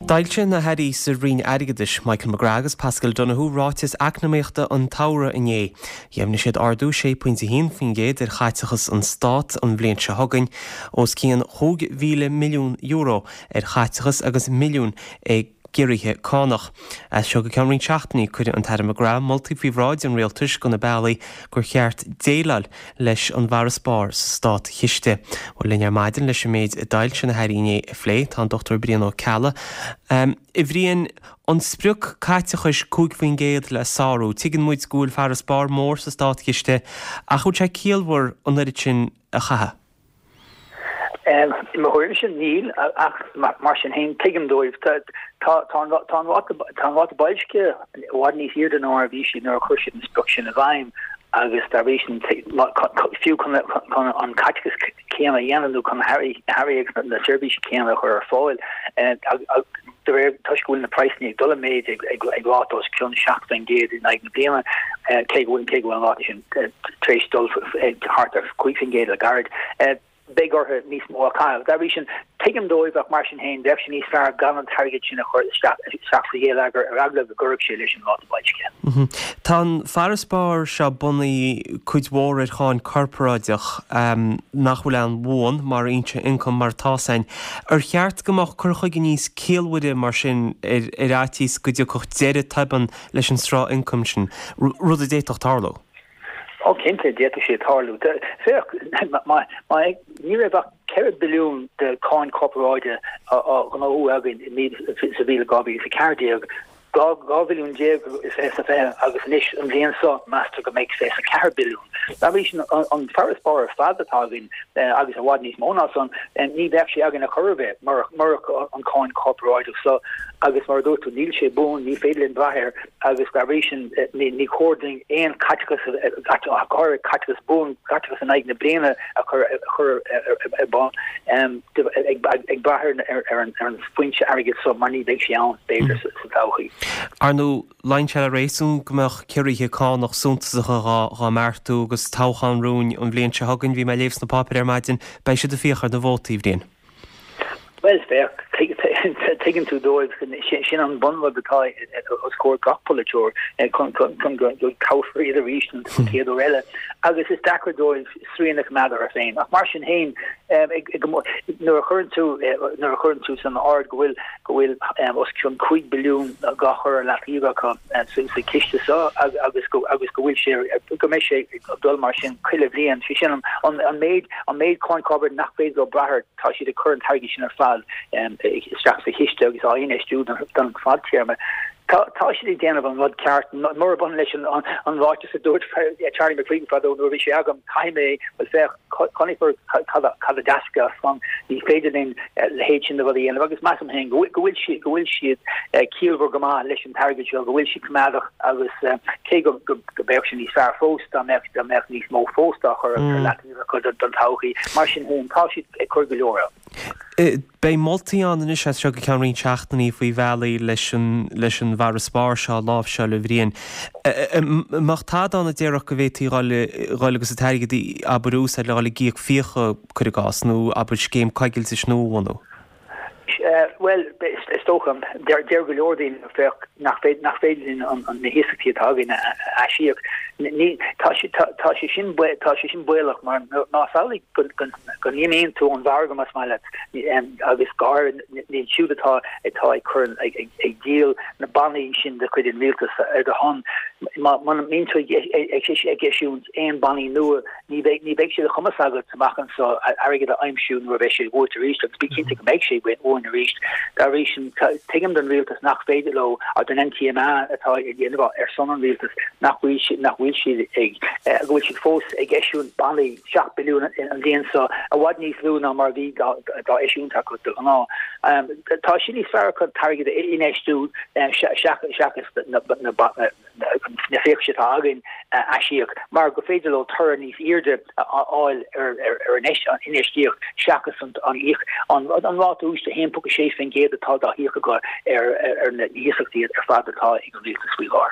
D'fhoilsigh na hAirí sa Roinn Airgeadais, Michael McGrath agus Paschal Donohoe, ráiteas eacnamaíochta an tsamhraidh inné. Dheimhnigh siad ardú 6.1% ar chaiteachas an Stát an bhliain seo chugainn, os cionn €5,000 milliún ar chaiteachas agus milliún i gciorruithe cánach. As seo go ceann roinnt seachtainí, cuirfidh an tAire McGrath moltaí faoi bhráid an Rialtais do na bealaí gur cheart déileáil leis an bhfarasbarr sa státchiste. Bhuel, linn ar maidin leis an méid a d'fhoilsigh na hAirí inné a phlé, tá an Dr Brian Ó Ceallaigh. A Bhriain, an sprioc caiteachais 5% le sárú, tuigeann muid go bhfuil farasbarr mór sa státchiste ach an bhfuil sé ciallmhar an oiread sin a chaitheamh? I mo thuairimse, níl, ach mar sin féin, tuigim dóibh. Tá an ráta boilscithe i bhfad níos airde ná mar a bhí sé nuair a chuir siad an sprioc sin i bhfeidhm agus dá bhrí sin, fiú chun an caiteachas céanna a dhéanamh nó chun na hearraí agus na seirbhísí céanna a chur ar fáil, de réir, toisc go bhfuil na praghsanna ag dul i méid ag ráta os cionn 7% in aghaidh na bliana, cé go bhfuil cé go bhfuil an ráta sin tar éis dul thart ar 5% le gairid, beidh orthu níos mó a chaitheamh. Dá bhrí sin, tuigim dóibh ach mar sin féin, bheadh sé níos fearr gan an t-airgead sin a chur isteach sa gheilleagar ar eagla go gcuirfeadh sé leis an ráta boilscithe. Tá an farasbarr seo bunaithe cuid mhór ar cháin corparáideach nach bhfuil aon bhuan mar fhoinse ioncaim mar atá 's againn. Ar cheart go mbeadh cur chuige níos ciallmhaire mar sin ar fhaitíos go dtiocfadh deireadh tobann leis an sruth ioncaim sin, rud a d'fhéadfadh tarlú? Ó cinnte, d'fhéadfadh sé tarlú. Féach, ní raibh ach 4 billiún de cháin chorparáide á ghnóthú againn sa bhliain 2014, 12 bhilliún i 2020 agus anois an bhliain seo meastar go mbeidh 24 billiún. Dá bhrí sin, an farasbarr ar fad atá againn, agus i bhfad níos mó ná san, ní bheadh sé againn ar chor ar bith murach an cháin chorparáideach seo agus mar a dúirt tú, níl sé buan, ní féidir linn brath air agus dá bhrí sin ní chóir dúinn aon chaiteachas, go háirithe caiteachas buan, caiteachas in aghaidh na bliana a chur ar bun. ag brath ar an foinse airgid seo mar ní bheidh sé ann, b'fhéidir, sa todhchaí. Ar ndóigh, luíonn sé le réasún go mbeadh ciorruithe cánach suntasacha dhá mbeartú agus toghchán romhainn an bhliain seo chugainn. Bhí mé ag léamh sna páipéir ar maidin, beidh siad ag fiach ar na vótaí, a Bhriain. Bhuel, féach, tuigeann tú dóibh, sin an bunrud atá os comhair gach polaiteoir chun go dtoghfar iad arís an chéad uair eile agus is deacair dóibh srian a choimeád orthu féin. Ach mar sin féin, nuair a chuireann tú, nuair a chuireann tú san áireamh go bhfuil, go bhfuil os cionn 5 billiún á chur ar leataobh acu sa chiste seo agus go, agus go bhfuil sé, go mbeidh sé ag dul mar sin chuile bhliain, sé sin an méid, an méid cáin chorparáide nach féidir leo brath air, tá siad ag cur an t-airgead sin ar fad isteach sa chiste agus á infheistiú don fadtéarma. Tá siad ag déanamh an rud ceart. Murab ionann leis an ráiteas a dúirt Charlie McCreevy fadó nuair a bhí sé agam, caithfidh mé, bhuel féach, chonaiceamar cad a d'eascair as san, ní féidir linn a leithéid sin de rud a dhéanamh agus measaim féin go bhfuil go bhfuil siad ciallmhar go maith leis an t-airgead seo, go bhfuil siad coimeádach agus cé go mbeadh sé níos fearr fós dá mbeadh dá mbeadh níos mó fós dá chur ar leataobh acu don todhchaí. Mar sin féin, tá siad ag cur go leor ann. Beidh moltaí ann anois as seo go ceann roinnt seachtainí faoi bhealaí leis an leis an bhfarasbarr seo a láimhseáil, a Bhriain. An mbeadh tada ann a déarfadh go bhféadfaí dhul dhul agus an t-airgead abair a úsáid le dhul ag íoc fiacha, cuir i gcás, nó abair scéim coigiltis nua a bhunú? Bhuel, is dócha, deir go leor daoine, féach, nach féidir nach féidir linn na hiasachtaí atá againn a aisíoc. Tá sé tá sé sin tá sé sin baolach mar más amhlaidh go go n-imíonn tú ón mhargadh más maith leat agus go háirithe iad siúd atá atá ag cur ag ag díol na bannaí sin de chuid an rialtais ar do shon muna mbíonn tú ag ag eisiúint aon bannaí nua Ní bheidh, ní bheidh sé de chumas agat amach anseo airgead a aimsiú nuair a bheidh sé uait arís agus bí cinnte go mbeidh sé uainn arís. Dá bhrí sin, tuigim don rialtas nach féidir leo, don NTMA atá ag déanamh ar son an rialtais, nach bhfuil siad, nach bhfuil siad ag, go bhfuil siad fós ag eisiúint bannaí, 7 billiún an bhliain seo, i bhfad níos lú ná mar a bhí dá eisiúint acu de ghnáth. Tá sé níos fearr acu an t-airgead a infheistiú seachas na na fiacha atá againn a aisíoc mar gur féidir leo toradh níos airde a fháil ar an infheistíocht seachas an ráta úis de 1.6% atá dá híoc acu ar na hiasachtaí ar fad atá ag an rialtas faoi láthair.